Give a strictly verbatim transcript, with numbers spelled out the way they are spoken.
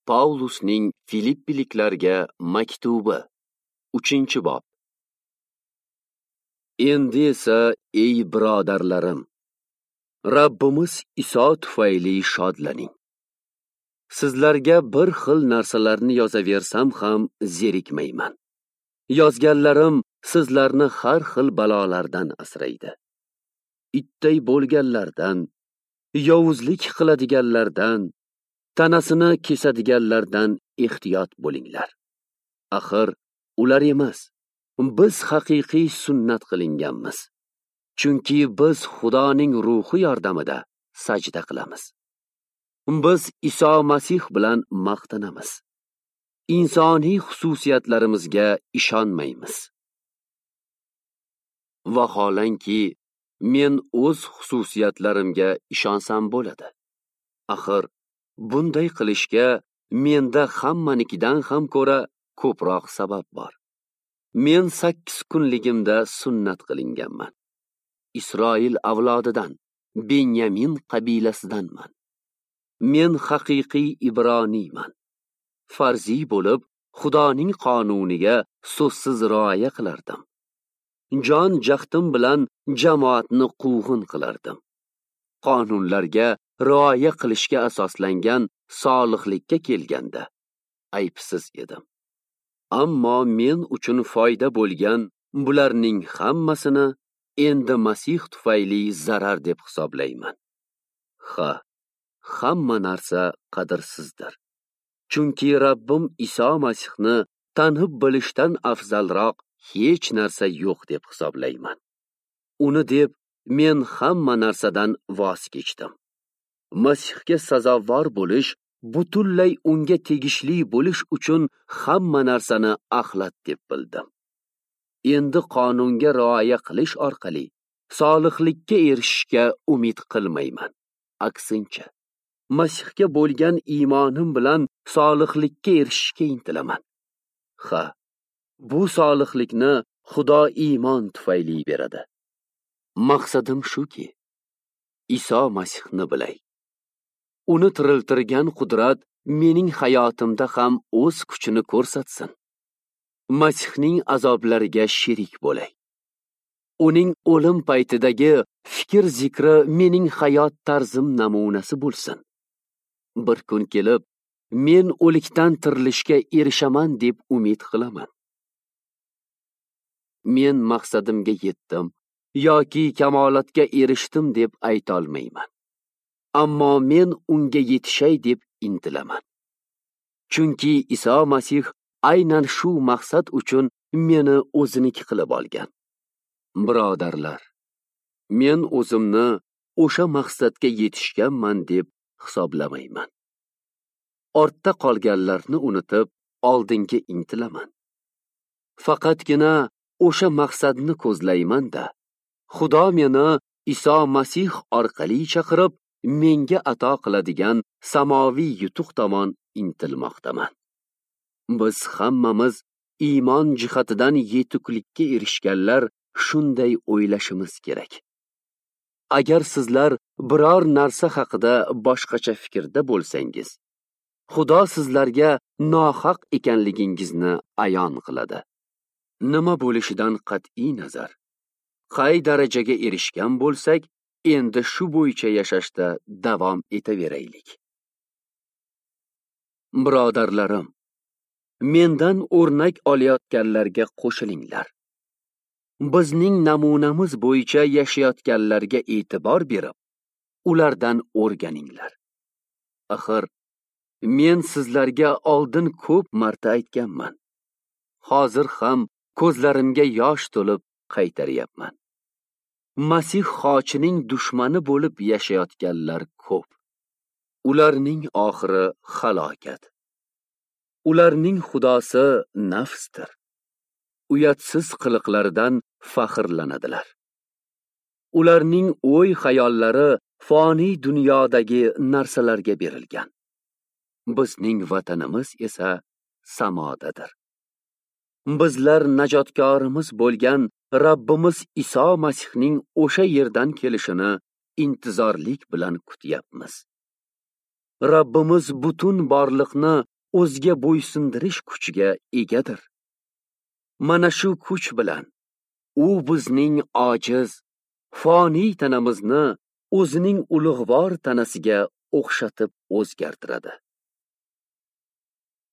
Paulusning Filippiliklarga maktubi, uchinchi bob. Endi esa, ey birodarlarim, Rabbimiz Iso tufayli shodlaning. Sizlarga bir xil narsalarni yozaversam ham zerikmayman. Yozganlarim sizlarni har xil balolardan asraydi. Itday bo'lganlardan, yovuzlik qiladiganlardan, tanasini kesadiganlardan ehtiyot bo'linglar. Axir ular emas, biz haqiqiy sunnat qilinganmiz. Chunki biz Xudoning ruhi yordamida sajda qilamiz. Biz Iso Masih bilan maqtanamiz. Insoniy xususiyatlarimizga ishonmaymiz. Vaholanki, men o'z xususiyatlarimga ishonsam bo'ladi. Axir bunday qilishga menda hammanikidan ham ko'ra ko'proq sabab bor. Men sakkiz kunligimda sunnat qilinganman. Isroil avlodidan, Benyamin qabilasidanman. Men haqiqiy ibroniyman. Farziy bo'lib, Xudoning qonuniga so'zsiz rioya qilardim. Jon jahdim bilan jamoatni quvg'in qilardim. Qonunlarga rioya qilishga asoslangan solihlikka kelganda aybsiz edim. Ammo men uchun foyda bo'lgan bularning hammasini endi Masih tufayli zarar deb hisoblayman. Ha, hamma narsa qadrsizdir. Chunki Rabbim Iso Masihni tanib bilishdan afzalroq hech narsa yo'q deb hisoblayman. Uni deb men hamma narsadan voz kechdim. Masihga sazovor bo'lish, butunlay unga tegishli bo'lish uchun hamma narsani axlat deb bildim. Endi qonunga rioya qilish orqali solihlikka erishishga umid qilmayman. Aksincha, Masihga bo'lgan iymonim bilan solihlikka erishishga intilaman. Ha, bu solihlikni Xudo iymon tufayli beradi. Maqsadim shuki, Iso Masihni bilay. Uni tiriltirgan qudrat mening hayotimda ham o'z kuchini ko'rsatsin. Masihning azoblariga sherik bo'lay. Uning o'lim paytidagi fikr zikri mening hayot tarzim namunasi bo'lsin. Bir kun kelib, men o'likdan tirilishga erishaman deb umid qilaman. Men maqsadimga yetdim yoki kamolatga erishdim deb ayta olmayman. Ammo men unga yetishay deb intilaman. Chunki Iso Masih aynan shu maqsad uchun meni o'ziniki qilib olgan. Birodarlar, men o'zimni o'sha maqsadga yetishganman deb hisoblamayman. Ortda qolganlarni unutib, oldinga intilaman. Faqatgina o'sha maqsadni ko'zlayman-da, Xudo meni Iso Masih orqali chaqirib, menga ato qiladigan samoviy yutuq tomon intilmoqdaman. Biz hammamiz iymon jihatidan yetuklikka erishganlar shunday o'ylashimiz kerak. Agar sizlar biror narsa haqida boshqacha fikrda bo'lsangiz, Xudo sizlarga nohaq ekanligingizni ayon qiladi. Nima bo'lishidan qat'iy nazar, qay darajaga erishgan bo'lsak, endi shu bo'yicha yashashda davom etaveraylik. Birodarlarim, mendan o'rnak olayotganlarga qo'shilinglar. Bizning namunamiz bo'yicha yashayotganlarga e'tibor berib, ulardan o'rganinglar. Axir, men sizlarga oldin ko'p marta aytganman. Hozir ham ko'zlarimga yosh to'lib qaytaryapman. Masih xochining dushmani bo'lib yashayotganlar ko'p. Ularning oxiri halokat. Ularning xudosi nafsdir. Uyatsiz qiliqlaridan faxrlanadilar. Ularning o'y-xayollari foniy dunyodagi narsalarga berilgan. Bizning vatanimiz esa samodadir. Bizlar najotkorimiz bo'lgan Rabbimiz Iso Masihning o'sha yerdan kelishini intizorlik bilan kutyapmiz. Rabbimiz butun borliqni o'ziga bo'ysundirish kuchiga egadir. Mana shu kuch bilan u bizning ojiz, foniy tanamizni o'zining ulug'vor tanasiga o'xshatib o'zgartiradi.